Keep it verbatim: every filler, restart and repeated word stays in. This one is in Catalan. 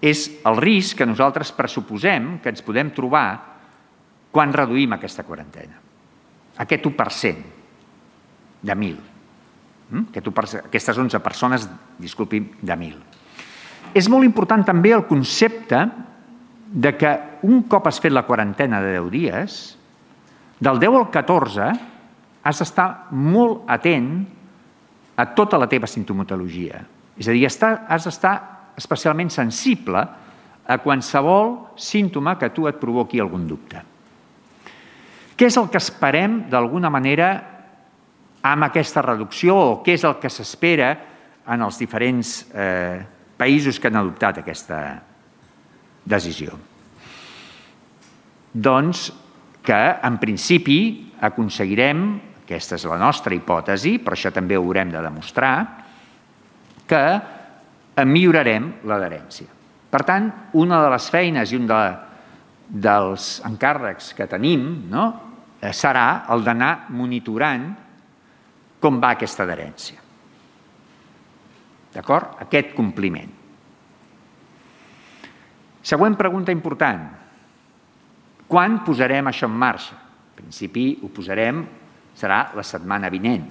és el risc que nosaltres pressuposem que ens podem trobar quan reduïm aquesta quarantena. Aquest u per cent de mil. Aquestes onze persones, disculpi, de mil. És molt important també el concepte de que un cop has fet la quarantena de deu dies, del deu al catorze has d'estar molt atent a tota la teva sintomatologia. És a dir, has d'estar especialment sensible a qualsevol símptoma que a tu et provoqui algun dubte. Què és el que esperem, d'alguna manera, amb aquesta reducció, o què és el que s'espera en els diferents països que han adoptat aquesta decisió? Doncs que, en principi, aconseguirem, aquesta és la nostra hipòtesi, però això també ho haurem de demostrar, que millorarem l'adherència. Per tant, una de les feines i un dels encàrrecs que tenim serà el d'anar monitorant com va aquesta adherència. D'acord? Aquest compliment. Següent pregunta important. Quan posarem això en marxa? En principi ho posarem, serà la setmana vinent.